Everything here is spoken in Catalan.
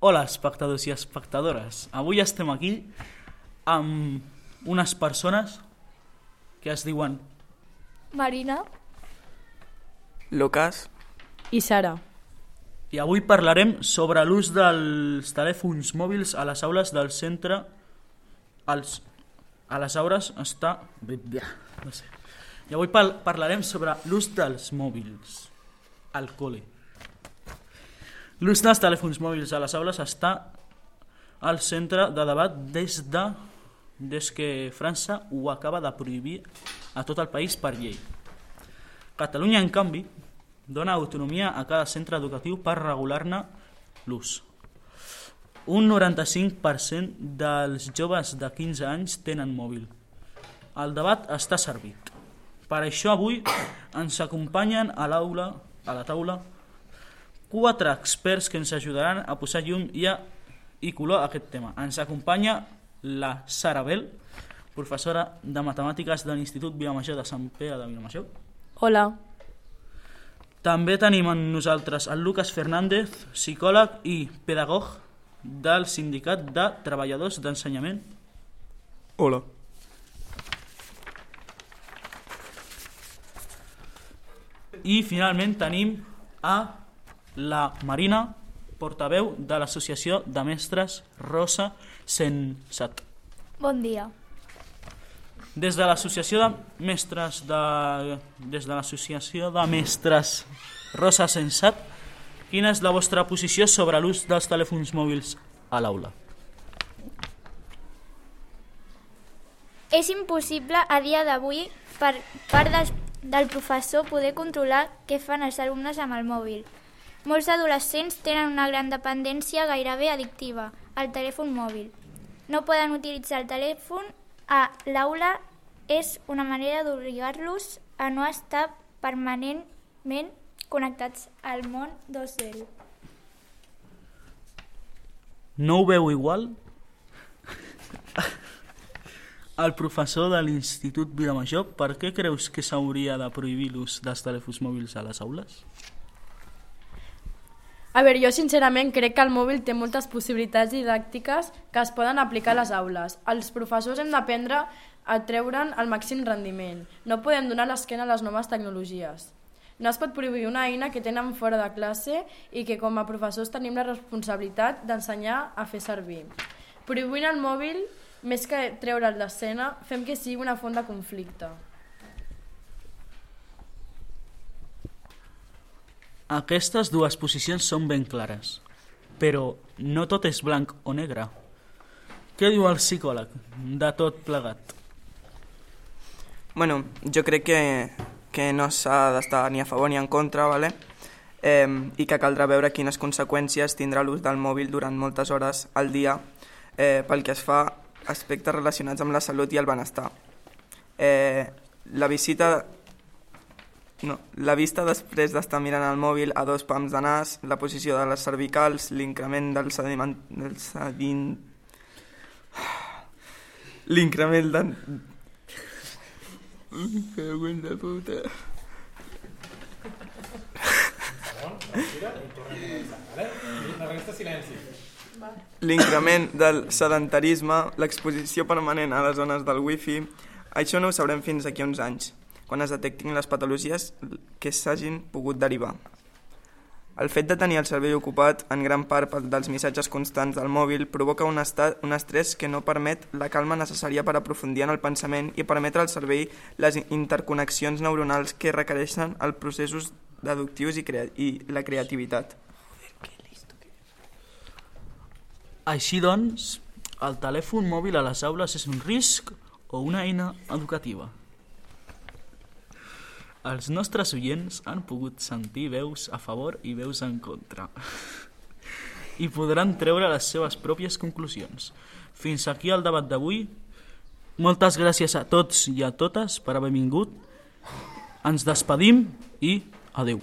Hola, espectadors i espectadores. Avui estem aquí amb unes persones que es diuen Marina Lucas i Sara. i avui parlarem sobre l'ús dels telèfons mòbils a les aules del centre. A les aules està... No sé. I avui parlarem sobre l'ús dels mòbils al col·le. L'ús dels telèfons mòbils a les aules està al centre de debat des que França ho acaba de prohibir a tot el país per llei. Catalunya, en canvi, dona autonomia a cada centre educatiu per regular-ne l'ús. Un 95% dels joves de 15 anys tenen mòbil. El debat està servit. Per això avui ens acompanyen a la taula, 4 experts que ens ajudaran a posar llum i color a aquest tema. Ens acompanya la Sara Bell, professora de Matemàtiques de l'Institut Vilamajor de Sant Pere de Vilamajor. Hola. També tenim amb nosaltres el Lucas Fernández, psicòleg i pedagog del Sindicat de Treballadors d'Ensenyament. Hola. I finalment tenim a la Marina, portaveu de l'Associació de Mestres Rosa Sensat. Bon dia. Des de l'Associació de Mestres Rosa Sensat, quina és la vostra posició sobre l'ús dels telèfons mòbils a l'aula? És impossible a dia d'avui per part del professor poder controlar què fan els alumnes amb el mòbil. Molts adolescents tenen una gran dependència gairebé addictiva al telèfon mòbil. No poden utilitzar el telèfon a l'aula, és una manera d'obligar-los a no estar permanentment connectats al món 2.0. No ho veu igual? El professor de l'Institut Vilamajor, per què creus que s'hauria de prohibir l'ús dels telèfons mòbils a les aules? A veure, jo sincerament crec que el mòbil té moltes possibilitats didàctiques que es poden aplicar a les aules. Els professors hem d'aprendre a treure'n el màxim rendiment. No podem donar l'esquena a les noves tecnologies. No es pot prohibir una eina que tenen fora de classe i que com a professors tenim la responsabilitat d'ensenyar a fer servir. Prohibint el mòbil, més que treure'l d'escena, fem que sigui una font de conflicte. Aquestes dues posicions són ben clares, però no tot és blanc o negre. Què diu el psicòleg de tot plegat? Bueno, jo crec que no s'ha d'estar ni a favor ni en contra, ¿vale? I que caldrà veure quines conseqüències tindrà l'ús del mòbil durant moltes hores al dia pel que es fa aspectes relacionats amb la salut i el benestar. La vista després d'estar mirant el mòbil a 2 pams de nas, la posició de les cervicals, l'increment l'increment de... de puta. L'increment del sedentarisme, l'exposició permanent a les zones del wifi, això no ho sabrem fins aquí a uns anys, quan es detectin les patologies que s'hagin pogut derivar. El fet de tenir el cervell ocupat en gran part dels missatges constants del mòbil provoca un estrès que no permet la calma necessària per aprofundir en el pensament i permetre al cervell les interconnexions neuronals que requereixen els processos deductius i la creativitat. Així doncs, el telèfon mòbil a les aules és un risc o una eina educativa? Els nostres oients han pogut sentir veus a favor i veus en contra i podran treure les seves pròpies conclusions. Fins aquí el debat d'avui. Moltes gràcies a tots i a totes per haver vingut. Ens despedim i adeu.